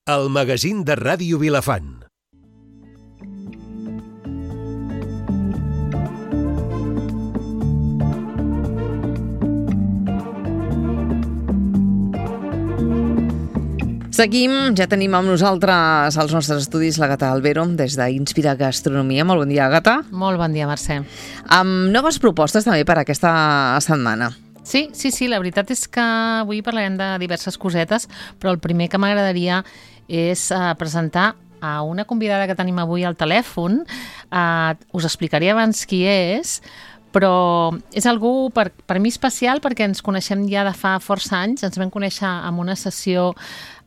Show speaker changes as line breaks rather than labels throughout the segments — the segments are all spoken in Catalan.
El magazín de Ràdio Vilafant.
Seguim, ja tenim amb nosaltres als nostres estudis l'Àgata Albero des d'Inspira Gastronomia. Molt bon dia, Àgata.
Molt bon dia, Mercè.
Amb noves propostes també per aquesta setmana.
Sí, la veritat és que avui parlarem de diverses cosetes, però el primer que m'agradaria és presentar a una convidada que tenim avui al telèfon. Us explicaré abans qui és, però és algú per mi especial perquè ens coneixem ja de fa força anys. Ens vam conèixer en una sessió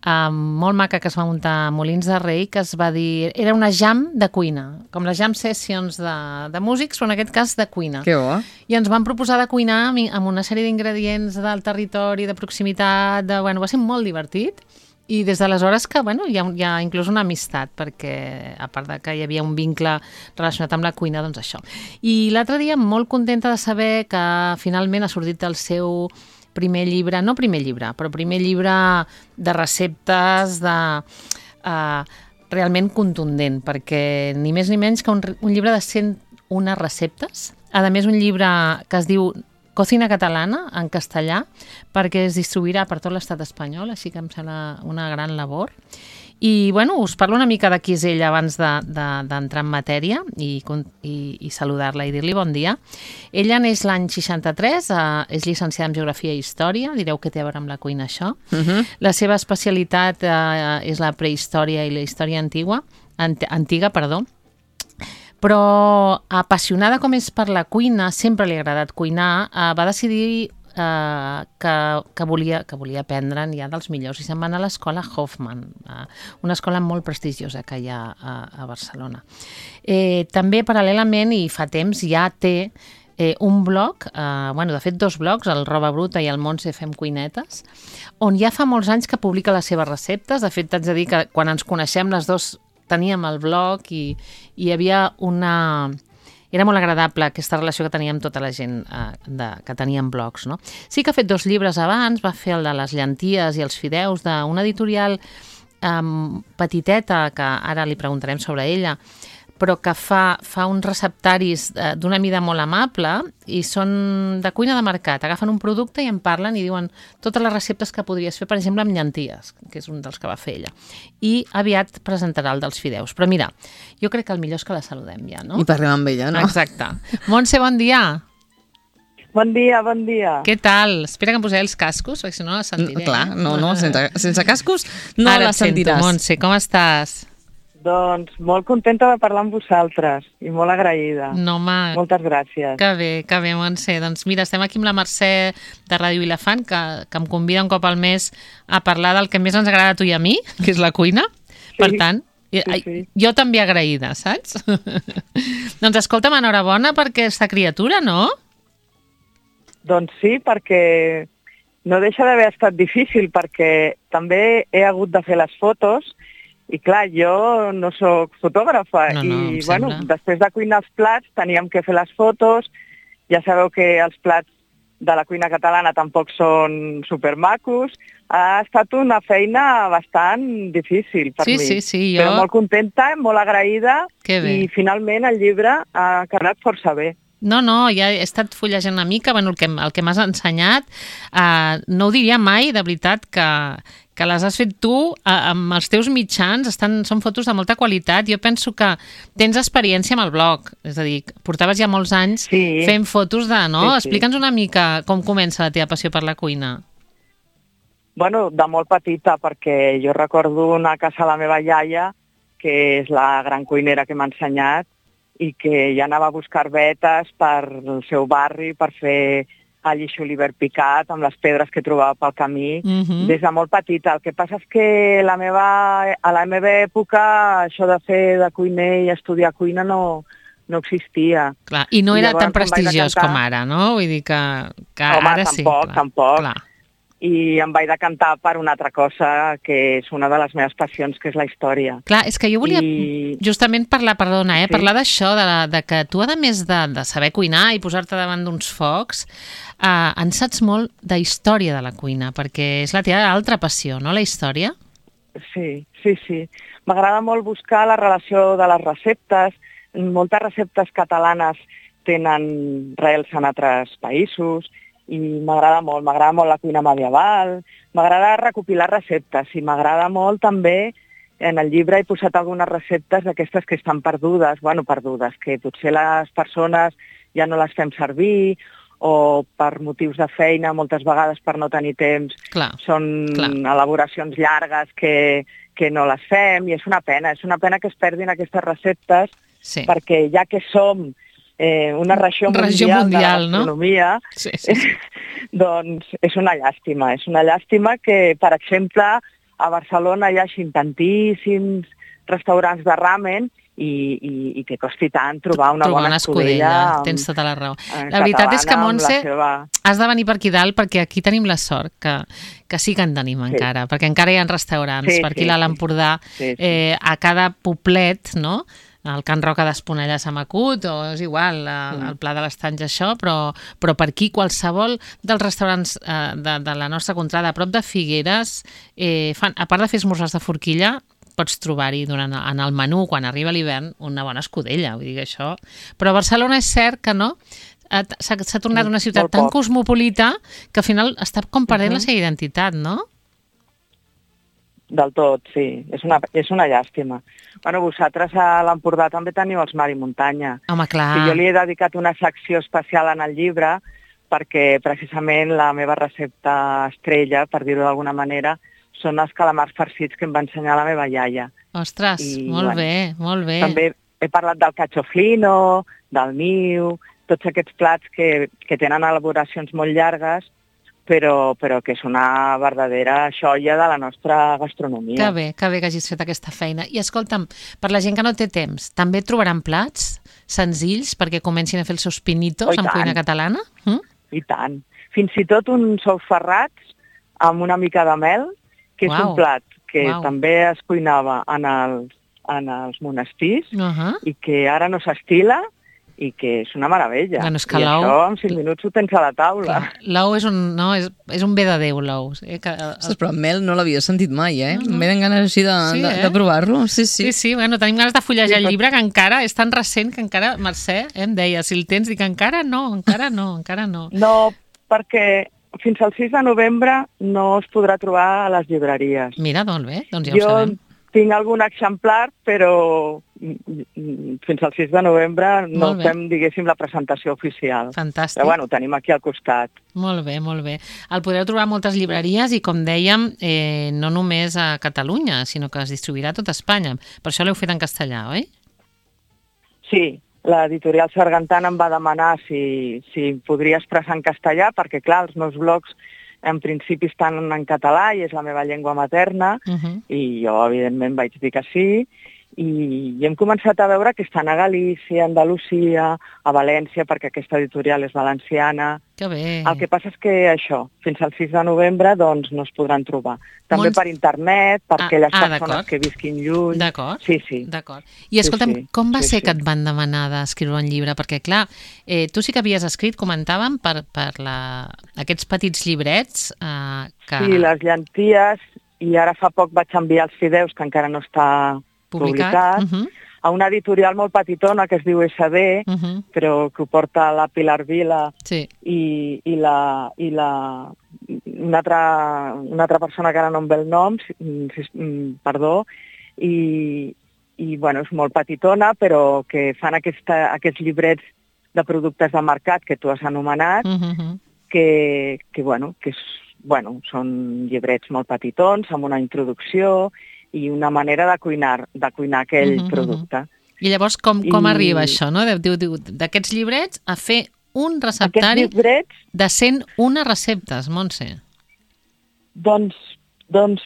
molt maca que es va muntar a Molins de Rei, que es va dir... Era una jam de cuina, com les jam sessions de músics, però en aquest cas de cuina.
Que bo.
I ens van proposar de cuinar amb una sèrie d'ingredients del territori, de proximitat, va ser molt divertit. I des d'aleshores que hi ha inclús una amistat, perquè a part de que hi havia un vincle relacionat amb la cuina, doncs això. I l'altre dia molt contenta de saber que finalment ha sortit el seu primer llibre de receptes, realment contundent, perquè ni més ni menys que un llibre de 101 receptes. A més, un llibre que es diu Cocina Catalana, en castellà, perquè es distribuirà per tot l'estat espanyol, així que em sembla una gran labor. I, us parlo una mica de qui és ella abans d'entrar en matèria i saludar-la i dir-li bon dia. Ella neix l'any 63, és llicenciada en Geografia i Història, direu que té a veure amb la cuina això. La seva especialitat és la prehistòria i la història antiga, però apassionada com és per la cuina, sempre li ha agradat cuinar, va decidir que volia aprendre ja dels millors i se'n va anar a l'escola Hoffman, una escola molt prestigiosa que hi ha a Barcelona. També paral·lelament i fa temps ja té un blog, de fet 2 blogs, el Roba Bruta i el Montse Fem Cuinetes, on ja fa molts anys que publica les seves receptes. De fet, t'haig de dir que quan ens coneixem les dues teníem el blog i hi havia Era molt agradable aquesta relació que teníem tota la gent que teníem blogs, no? Sí que ha fet 2 llibres abans, va fer el de les llenties i els fideus d'una editorial petiteta, que ara li preguntarem sobre ella, però que fa uns receptaris d'una mida molt amable i són de cuina de mercat. Agafen un producte i en parlen i diuen totes les receptes que podries fer, per exemple, amb llenties, que és un dels que va fer ella. I aviat presentarà el dels fideus. Però mira, jo crec que el millor és que la saludem ja, no?
I parlem amb ella, no?
Exacte. Montse, bon dia.
Bon dia.
Què tal? Espera que em posaré els cascos, perquè si no la sentiré.
Clar, sense cascos no
ara
la sentiràs.
Ara et sento, Montse, com estàs?
Doncs molt contenta de parlar amb vosaltres i molt agraïda.
No, home.
Moltes gràcies.
Que bé, Montse. Doncs mira, estem aquí amb la Mercè de Ràdio Vilafant, que em convida un cop al mes a parlar del que més ens agrada a tu i a mi, que és la cuina. Sí, per tant, jo també agraïda, saps? Doncs escolta'm, enhorabona per aquesta criatura, no?
Doncs sí, perquè no deixa d'haver estat difícil, perquè també he hagut de fer les fotos. I clar, jo no sóc fotògrafa i després de cuinar els plats teníem que fer les fotos. Ja sabeu que els plats de la cuina catalana tampoc són supermacos. Ha estat una feina bastant difícil per mi.
Sí, jo...
Però molt contenta, molt agraïda i finalment el llibre ha quedat força bé.
No, ja he estat fullejant una mica, el que m'has ensenyat, no ho diria mai, de veritat, que les has fet tu amb els teus mitjans, són fotos de molta qualitat. Jo penso que tens experiència amb el blog, és a dir, portaves ja molts anys fent fotos no? Sí. Explica'ns una mica com comença la teva passió per la cuina.
De molt petita, perquè jo recordo anar a casa de la meva iaia, que és la gran cuinera que m'ha ensenyat, i que ja anava a buscar vetes per el seu barri per fer all i julivert picat amb les pedres que trobava pel camí des de molt petita. El que passa és que a la meva època això de fer de cuiner i estudiar cuina no existia.
Clar, i no era tan prestigiós com ara, no? Vull dir que ara sí.
Tampoc. Clar. I em vaig decantar per una altra cosa que és una de les meves passions, que és la història.
Clar, és que jo volia justament parlar d'això, de que tu, a més de saber cuinar i posar-te davant d'uns focs, en saps molt de història de la cuina, perquè és la teva altra passió, no, la història?
Sí. M'agrada molt buscar la relació de les receptes. Moltes receptes catalanes tenen rels en altres països i m'agrada molt la cuina medieval, m'agrada recopilar receptes i m'agrada molt també, en el llibre he posat algunes receptes d'aquestes que estan perdudes, que potser les persones ja no les fem servir o per motius de feina, moltes vegades per no tenir temps, són elaboracions llargues que no les fem i és una pena que es perdin aquestes receptes perquè ja que som una regió mundial de la gastronomia, doncs és una llàstima que, per exemple, a Barcelona hi hagi tantíssims restaurants de ramen i que costi tant trobar una bona escudella.
Tens tota la raó. La veritat és que, Montse, has de venir per aquí dalt perquè aquí tenim la sort que sí que en tenim encara, perquè encara hi ha restaurants per aquí a l'Empordà, a cada poblet, no?, el Can Roca d'Esponellà s'ha macut, o és igual, el Pla de l'Estanys, això, però per aquí qualsevol dels restaurants de la nostra contrada, a prop de Figueres, a part de fer esmorzars de forquilla, pots trobar-hi en el menú, quan arriba l'hivern, una bona escudella, vull dir que això... Però a Barcelona és cert que no, s'ha tornat una ciutat tan cosmopolita que al final està com perdent la seva identitat, no?
Del tot, sí. És una llàstima. Vosaltres a l'Empordà també teniu els Mar i Muntanya.
Home, clar.
Jo li he dedicat una secció especial en el llibre perquè precisament la meva recepta estrella, per dir-ho d'alguna manera, són els calamars farcits que em va ensenyar la meva iaia.
Ostres, molt bé.
També he parlat del cachoflino, del niu, tots aquests plats que tenen elaboracions molt llargues, però que és una verdadera joia de la nostra gastronomia.
Que bé que hagis fet aquesta feina. I escolta'm, per la gent que no té temps, també trobaran plats senzills perquè comencin a fer els seus pinitos amb cuina catalana?
I tant. Fins i tot uns ous ferrats amb una mica de mel, que és un plat que també es cuinava en els monestirs i que ara no s'estila i que és una meravella.
Bueno, és que
I això en 5 minuts ho tens a la taula.
L'ou és un bé de Déu, l'ou.
Però amb mel no l'havia sentit mai, Em venen ganes així de provar-lo.
Sí, bueno, tenim ganes de fullejar el llibre, que encara és tan recent que encara, Mercè, em deia, si el tens, dic encara no.
No, perquè fins al 6 de novembre no es podrà trobar a les llibreries.
Mira, molt bé, doncs ja ho sabem.
Tinc algun exemplar, però fins al 6 de novembre no fem, diguéssim, la presentació oficial.
Fantàstic.
Però bueno, tenim aquí al costat.
Molt bé. El podreu trobar a moltes llibreries i, com dèiem, no només a Catalunya, sinó que es distribuirà a tot Espanya. Per això l'heu fet en castellà, oi?
Sí, l'editorial Sargantana em va demanar si podria expressar en castellà, perquè, clar, els meus blogs en principi estan en català i és la meva llengua materna i jo, evidentment, vaig dir que sí i hem començat a veure que estan a Galícia, a Andalusia, a València, perquè aquesta editorial és valenciana.
Que bé.
El que passa és que això, fins al 6 de novembre, doncs no es podran trobar. També per internet, per aquelles persones que visquin lluny.
D'acord.
Sí.
D'acord. I escolta'm, com va ser que et van demanar d'escriure un llibre? Perquè, clar, tu sí que havies escrit, comentàvem, per aquests petits llibrets que...
Sí, les llenties, i ara fa poc vaig enviar els fideus, que encara no està publicat, a una editorial molt petitona que es diu SD, però que ho porta la Pilar Vila i una altra persona que ara no em ve el nom, perdó, i bueno, és molt petitona, però que fan aquests llibrets de productes de mercat que tu has anomenat, que són llibrets molt petitons, amb una introducció i una manera de cuinar aquell producte.
I llavors com arriba això, no? D'aquests llibrets a fer un receptari de 101 receptes, Montse.
Doncs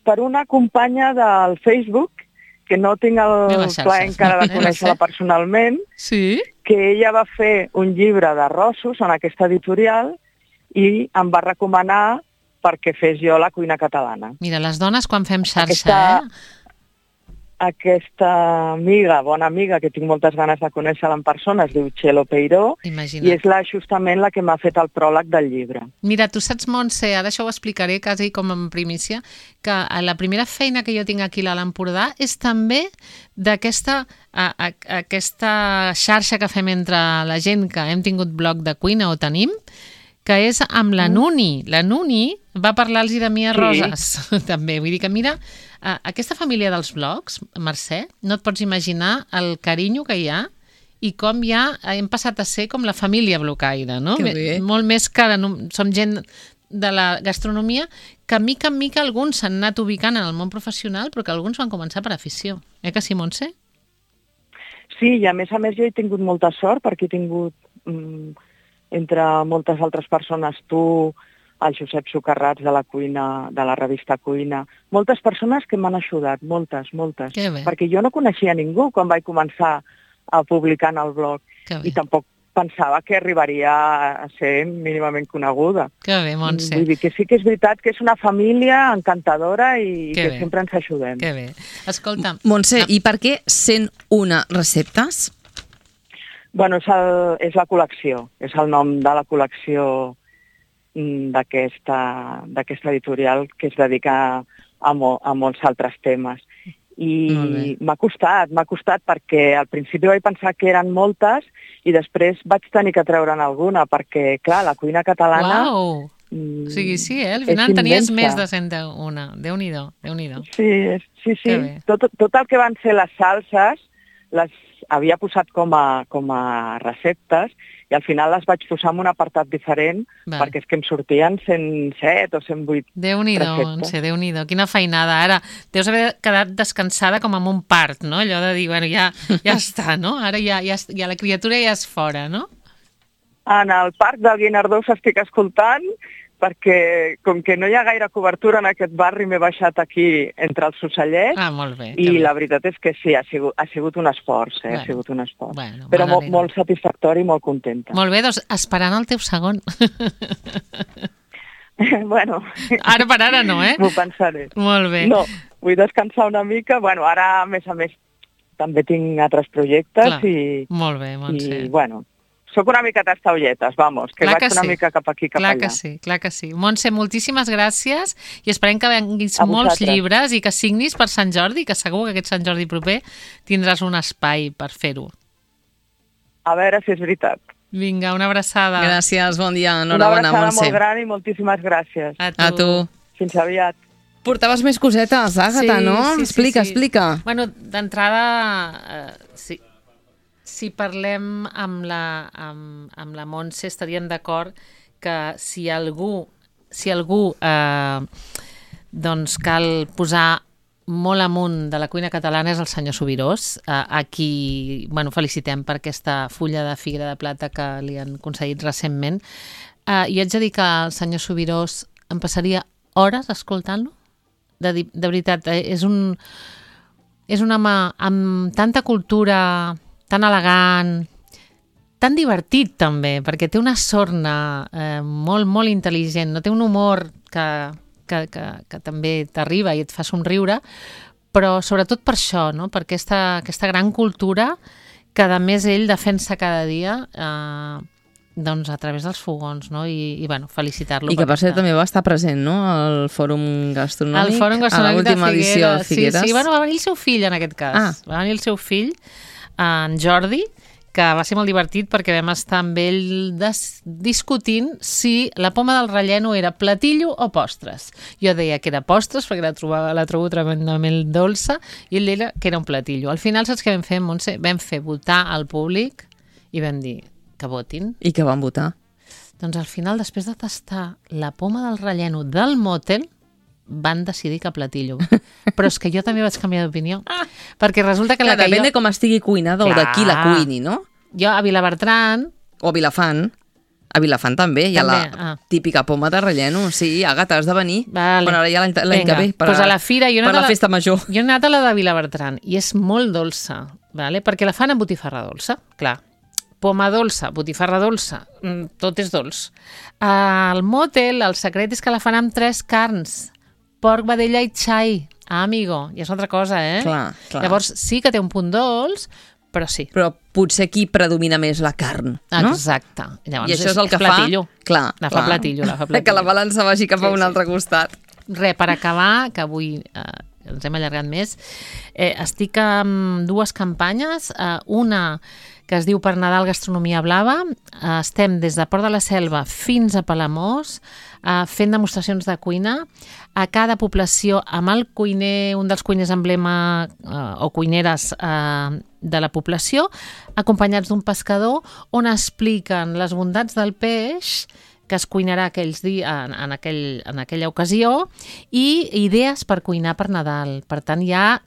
per una companya del Facebook, que no tinc el plaer encara de conèixer-la personalment, que ella va fer un llibre d'arrossos en aquesta editorial i em va recomanar perquè fes jo la cuina catalana.
Mira, les dones quan fem xarxa,
aquesta amiga, bona amiga, que tinc moltes ganes de conèixer-la en persona, es diu Txelo Peiró,
Imagina't.
i és justament la que m'ha fet el pròleg del llibre.
Mira, tu saps, Montse, ara això ho explicaré quasi com en primícia, que la primera feina que jo tinc aquí a l'Empordà és també d'aquesta aquesta xarxa que fem entre la gent que hem tingut blog de cuina o tenim, que és amb la Nuni. La Nuni va parlar-los de mi a Roses, també. Vull dir que, mira, aquesta família dels blogs, Mercè, no et pots imaginar el carinyo que hi ha i com ja hem passat a ser com la família blocaire, no?
Que bé.
Molt més que som gent de la gastronomia que mica en mica alguns s'han anat ubicant en el món professional, però que alguns van començar per afició. Que sí, Montse?
Sí, i a més jo he tingut molta sort perquè he tingut, entre moltes altres persones, tu, el Josep Socarrats de la cuina, de la revista Cuina, moltes persones que m'han ajudat, moltes.
Que bé.
Perquè jo no coneixia ningú quan vaig començar a publicar en el blog i tampoc pensava que arribaria a ser mínimament coneguda.
Que bé, Montse.
Vull dir que sí que és veritat que és una família encantadora i que sempre ens ajudem.
Que bé. Escolta...
Montse, i per què 101 receptes?
Bueno, és la col·lecció, és el nom de la col·lecció d'aquesta editorial que es dedica a molts altres temes. I m'ha costat perquè al principi vaig pensar que eren moltes i després vaig tenir que treure'n alguna perquè, clar, la cuina catalana...
Uau! O sigui, sí, al final tenies més de 101. Déu-n'hi-do, Déu-n'hi-do.
Sí. Tot el que van ser les salses les havia posat com a receptes i al final les vaig posar en un apartat diferent perquè és que em sortien 107 o 108
Déu-n'hi-do,
receptes.
Déu-n'hi-do, quina feinada. Ara, deus haver quedat descansada com amb un part, no? Allò de dir, bueno, ja està, no? Ara ja la criatura ja és fora, no?
En el Parc del Guinardó estic escoltant perquè com que no hi ha gaire cobertura en aquest barri m'he baixat aquí entre els ocellets
molt bé,
i la veritat és que sí, ha sigut un esforç, ha sigut un esforç. Però molt satisfactori i molt contenta.
Molt bé, doncs esperant el teu segon.
Bueno...
Ara per ara no,
M'ho pensaré.
Molt bé.
No, vull descansar una mica. Bueno, ara, a més, també tinc altres projectes.
Clar. Molt bé, Montse.
I, bueno, soc una mica tastaolletes, vamos, que vaig una mica cap aquí, cap allà.
Clar que sí. Montse, moltíssimes gràcies i esperem que venguis molts llibres i que signis per Sant Jordi, que segur que aquest Sant Jordi proper tindràs un espai per fer-ho.
A veure si és veritat.
Vinga, una abraçada.
Gràcies, bon dia, enhorabona, Montse.
Una abraçada molt gran i moltíssimes gràcies.
A tu.
Fins aviat.
Portaves més cosetes, Àgata, no?
Sí.
Explica.
Bueno, d'entrada, si parlem amb la Montse estaríem d'acord que si algú doncs cal posar molt amunt de la cuina catalana és el senyor Subirós, a qui felicitem per aquesta fulla de Figuera de Plata que li han concedit recentment. I haig de dir que el senyor Subirós em passaria hores escoltant-lo. De veritat, és un home amb tanta cultura, tan elegant, tan divertit també, perquè té una sorna molt, molt intel·ligent, no té un humor que també t'arriba i et fa somriure, però sobretot per això, no? Per aquesta gran cultura que a més ell defensa cada dia doncs a través dels fogons, no? I felicitar-lo.
I que per cert també va estar present, no? Al Fòrum Gastronòmic,
a l'última
edició de Figueres.
Sí, va venir el seu fill en aquest cas. Va venir el seu fill, en Jordi, que va ser molt divertit perquè vam estar amb ell discutint si la poma del relleno era platillo o postres. Jo deia que era postres perquè la trobo tremendament dolça i ell deia que era un platillo. Al final saps què vam fer, Montse? Vam fer votar al públic i vam dir que votin.
I que van votar?
Doncs al final, després de tastar la poma del relleno del Motel, van decidir que platillo. Però és que jo també vaig canviar d'opinió. Perquè resulta que
depèn de com estigui cuinada o de qui la cuini, no?
Jo a Vilabertran...
O a Vilafant. A Vilafant també hi ha la típica poma de relleno. Sí, Àgata, has de venir.
Vale.
Bueno, ara ja l'any que ve.
Per a la fira,
per la festa major.
Jo he anat a la de Vilabertran i és molt dolça, perquè la fan amb botifarra dolça, clar. Poma dolça, botifarra dolça, tot és dolç. Al Motel, el secret és que la fan amb 3 carns. Porc, vedella i xai. amigo, i és una altra cosa,
Clar.
Llavors sí que té un punt dolç, però sí.
Però potser aquí predomina més la carn, no?
Exacte. Llavors,
I això és el que
platillo.
Clar,
La fa platillo.
Que la balança vagi cap a un altre costat.
Res, per acabar, que avui ens hem allargat més, estic amb dues campanyes, una que es diu Per Nadal Gastronomia Blava. Estem des de Port de la Selva fins a Palamós fent demostracions de cuina a cada població amb el cuiner, un dels cuiners emblema o cuineres de la població, acompanyats d'un pescador, on expliquen les bondats del peix que es cuinarà aquells dies, en aquella ocasió, i idees per cuinar per Nadal. Per tant, ja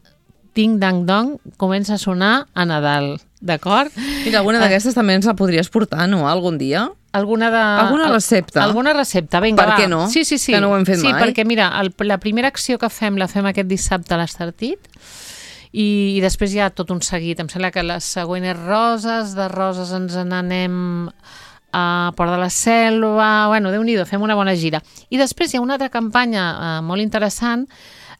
ting-dang-dong comença a sonar a Nadal, d'acord?
Mira, alguna d'aquestes també ens la podries portar, no?, algun dia?
Alguna
recepta?
Alguna recepta, vinga,
per
va.
Què no?
Sí.
Que no ho hem fet mai.
Sí, perquè mira, la primera acció que fem la fem aquest dissabte a l'Estartit, i després hi ha tot un seguit. Em sembla que la següent és Roses, de Roses ens n'anem a Port de la Selva, bueno, Déu-n'hi-do, fem una bona gira. I després hi ha una altra campanya molt interessant,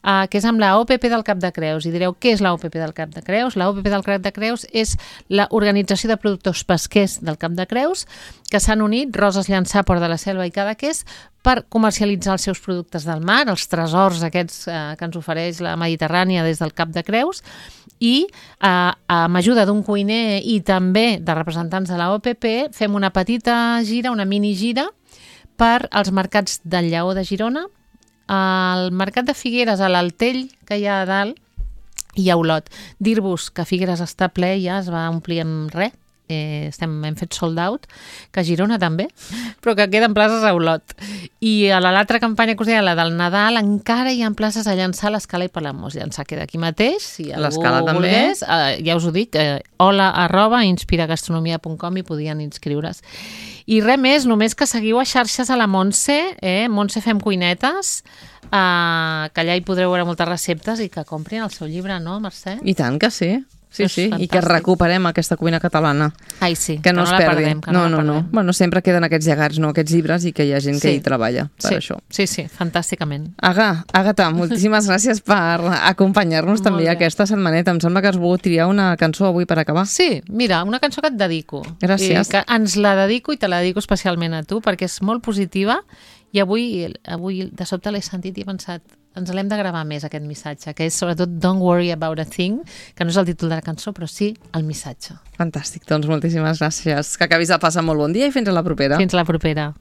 que és amb la OPP del Cap de Creus. I direu, què és la OPP del Cap de Creus? La OPP del Cap de Creus és l'Organització de Productors Pesquers del Cap de Creus, que s'han unit, Roses Llançà, Port de la Selva i Cadaqués, per comercialitzar els seus productes del mar, els tresors aquests que ens ofereix la Mediterrània des del Cap de Creus, i amb ajuda d'un cuiner i també de representants de la OPP fem una petita gira, una mini gira, per als mercats del Lleó de Girona, al mercat de Figueres, a l'Altell, que hi ha a dalt, i a Olot. Dir-vos que Figueres està ple, ja es va omplir amb res, hem fet sold out, que a Girona també, però que queden places a Olot. I a l'altra campanya que us deia, la del Nadal, encara hi ha places a Llançà, l'Escala i Palamós. Llançà queda aquí mateix, si algú volgués, ja us ho dic, hola@inspiragastronomia.com i podien inscriure's. I res més, només que seguiu a xarxes a la Montse, Montse Fem Cuinetes, que allà hi podreu veure moltes receptes i que comprin el seu llibre, no, Mercè?
I tant que sí. Sí, i que recuperem aquesta cuina catalana.
Ai, sí,
que no es perdi.
Perdem, no.
Bueno, sempre queden aquests llegats, no, aquests llibres, i que hi ha gent que hi treballa per això.
Sí, fantàsticament.
Àgata, moltíssimes gràcies per acompanyar-nos també aquesta setmaneta. Em sembla que has volgut triar una cançó avui per acabar.
Sí, mira, una cançó que et dedico.
Gràcies.
Que ens la dedico i te la dedico especialment a tu, perquè és molt positiva, i avui de sobte l'he sentit i he pensat, ens l'hem de gravar més, aquest missatge, que és sobretot Don't Worry About a Thing, que no és el títol de la cançó, però sí el missatge.
Fantàstic, doncs moltíssimes gràcies. Que acabis de passar molt bon dia i fins a la propera.
Fins a la propera.